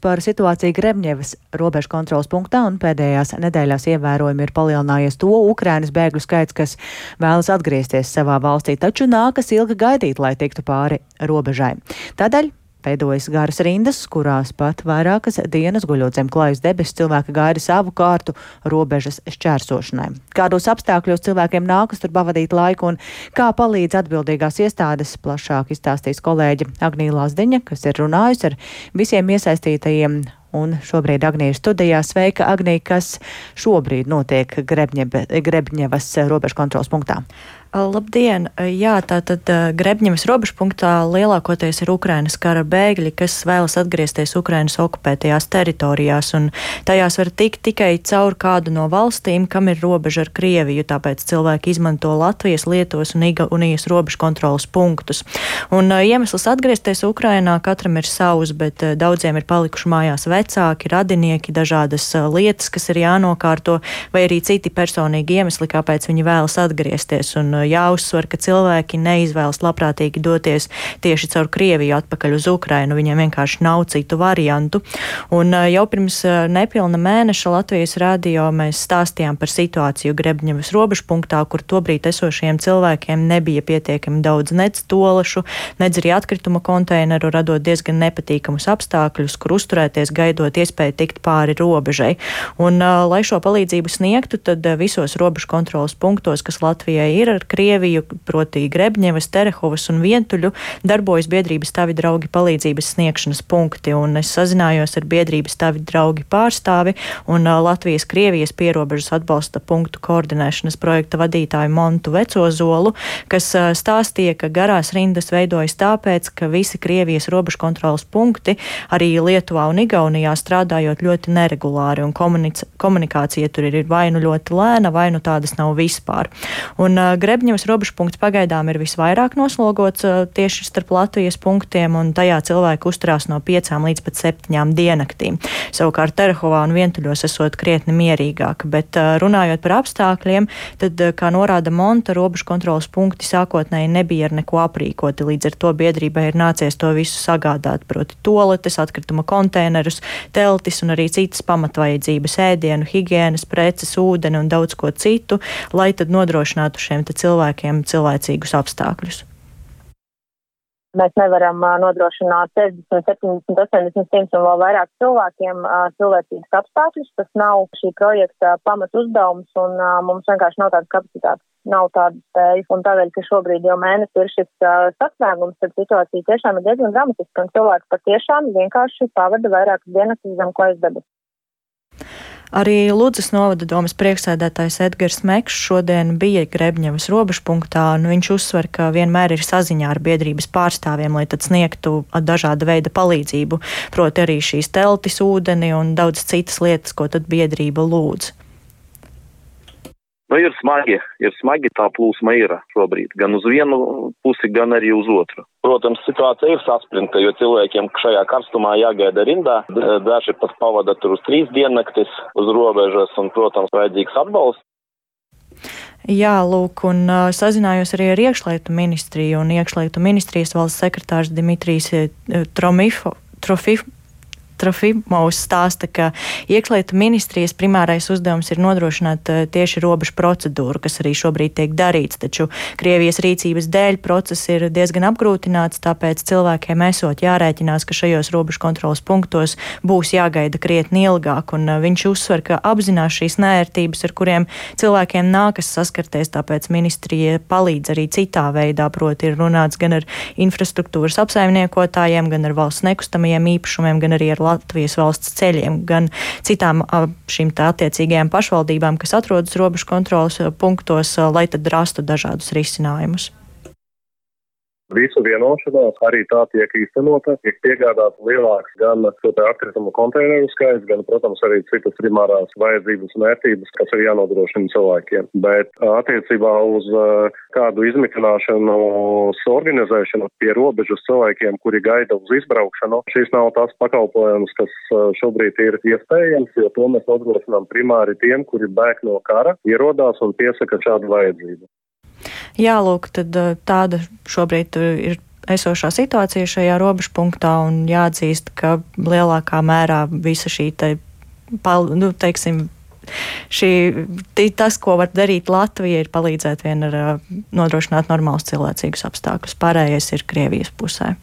Par situāciju Grebņevas robežu kontrolas punktā un pēdējās nedēļās ievērojami ir palielinājies to Ukrainas bēgļu skaits, kas vēlas atgriezties savā valstī, taču nākas ilgi gaidīt, lai tiktu pāri robežai. Tādēļ veidojas garas rindas, kurās pat vairākas dienas guļot zem klājas debesis cilvēki gaida savu kārtu robežas šķērsošanai. Kādos apstākļos cilvēkiem nākas tur pavadīt laiku un kā palīdz atbildīgās iestādes, plašāk izstāstīs kolēģe Agnija Lazdiņa, kas ir runājusi ar visiem iesaistītajiem. Un šobrīd Agnija ir studijā. Sveika, Agnija, kas šobrīd notiek Grebņevas robežu kontrolas punktā? Labdien! Jā, tātad Grebņevas robežu punktā lielākoties ir Ukrainas kara bēgļi, kas vēlas atgriezties Ukrainas okupētajās teritorijās, un tajās var tikt tikai caur kādu no valstīm, kam ir robeža ar Krieviju, tāpēc cilvēki izmanto Latvijas, Lietuvas un Igaunijas robežu kontrolas punktus. Un iemesls atgriezties Ukrainā katram ir savs, bet daudziem ir palikuši mājās vecāki, radinieki, dažādas lietas, kas ir jānokārto, vai arī citi personīgi iemesli, kāpēc viņi vēlas atgriezties. Un jāuzsver, ka cilvēki neizvēlas labprātīgi doties tieši caur Krieviju atpakaļ uz Ukrainu. Viņiem vienkārši nav citu variantu. Un jau pirms nepilna mēneša Latvijas radio mēs stāstījām par situāciju Grebņevas robežu punktā, kur tobrīd esošajiem cilvēkiem nebija pietiekami daudz nec tolašu, nec arī atkrituma konteineru, radot diezgan nepatīkamus apstākļus, kur uzturēties, gaidot iespēju tikt pāri robežai. Un, lai šo palīdzību sniegtu, tad visos robežu kontrolas punktos, kas Latvijai ir ar Krieviju, proti Grebņevas, Terehovas un Vientuļu, darbojas biedrības Tavi draugi palīdzības sniegšanas punkti, un es sazinājos ar biedrības Tavi draugi pārstāvi un Latvijas-Krievijas pierobežas atbalsta punktu koordinēšanas projekta vadītāju Montu Vecozolu, kas stāstīja, ka garās rindas veidojas tāpēc, ka visi Krievijas robežu kontrolas punkti arī Lietuvā un Igaunijā strādājot ļoti neregulāri, un komunikācija tur ir vai nu ļoti lēna, vai nu tādas nav vispār. Un Grebņevas robežu punkts pagaidām ir visvairāk noslogots tieši starp Latvijas punktiem, un tajā cilvēki uzturās no 5 līdz pat 7 diennaktīm. Savukārt Terehovā un Vientuļos esot krietni mierīgāk, bet runājot par apstākļiem, tad, kā norāda Monta, robežu kontrolas punkti sākotnēji nebija ar neko aprīkoti, līdz ar to biedrībai ir nācies to visu sagādāt, proti toaletes, atkrituma konteinerus, teltis un arī citas pamatvajadzības, ēdienu, higienas, preces, ūdeni un daudz ko citu, lai tad nodrošinātu šiem cilvēkiem cilvēcīgus apstākļus. Mēs nevaram nodrošināt 60, 70, 80, 100 un vēl vairāk cilvēkiem cilvēcīgus apstākļus. Tas nav šī projekta pamat uzdevums, un mums vienkārši nav tādas kapacitātes, nav tādas spējas. Un tādēļ, ka šobrīd jau mēnesi ir šis sasniegums, tad situācija tiešām ir diezgan dramatiska, un cilvēki patiešām vienkārši pavada vairākas dienas zem klājas debesis. Arī Ludzas novada domes priekšsēdētājs Edgars Mekšs šodien bija Grebņevas robežu punktā, un viņš uzsver, ka vienmēr ir saziņā ar biedrības pārstāvjiem, lai tad sniegtu dažāda veida palīdzību, proti arī šīs teltis, ūdeni un daudz citas lietas, ko tad biedrība lūdz. Ir smagi tā plūsma ir šobrīd, gan uz vienu pusi, gan arī uz otru. Protams, situācija ir saspringta, jo cilvēkiem šajā karstumā jāgaida rindā. Daži pat pavada tur uz 3 diennaktis uz robežas un, protams, vajadzīgs atbalsts. Jā, lūk, un sazinājos arī ar iekšlietu ministriju, un iekšlietu ministrijas valsts sekretārs Dimitrijs Trofimovs stāsta, ka iekšlietu ministrijas primārais uzdevums ir nodrošināt tieši robežu procedūru, kas arī šobrīd tiek darīts, taču Krievijas rīcības dēļ process ir diezgan apgrūtināts, tāpēc cilvēkiem esot jārēķinās, ka šajos robežu kontrolas punktos būs jāgaida krietni ilgāk, un viņš uzsver, ka apzinās šīs neērtības, ar kuriem cilvēkiem nākas saskarties, tāpēc ministrija palīdz arī citā veidā, proti ir runāts gan ar infrastruktūras apsaimniekotājiem, gan ar valsts nekustamajiem īpašumiem, gan arī ar Latvijas valsts ceļiem, gan citām šīm tā attiecīgajām pašvaldībām, kas atrodas robežu kontrolas punktos, lai tad rastu dažādus risinājumus. Visu vienošanās arī tā tiek īstenota, tiek piegādāts lielāks gan atkritumu konteineru skaits, gan, protams, arī citas primārās vajadzības un vērtības, kas ir jānodrošina cilvēkiem. Bet attiecībā uz kādu izmitināšanu, organizēšanu pie robežas cilvēkiem, kuri gaida uz izbraukšanu, šis nav tas pakalpojums, kas šobrīd ir iespējams, jo to mēs nodrošinām primāri tiem, kuri bēg no kara, ierodās un piesaka šādu vajadzību. Jā, lūk, tad tāda šobrīd ir esošā situācija šajā robežpunktā un jāatzīst, ka lielākā mērā visa šī tas, ko var darīt Latvija, ir palīdzēt vien ar nodrošināt normālus cilvēcīgus apstākļus. Pārējais ir Krievijas pusē.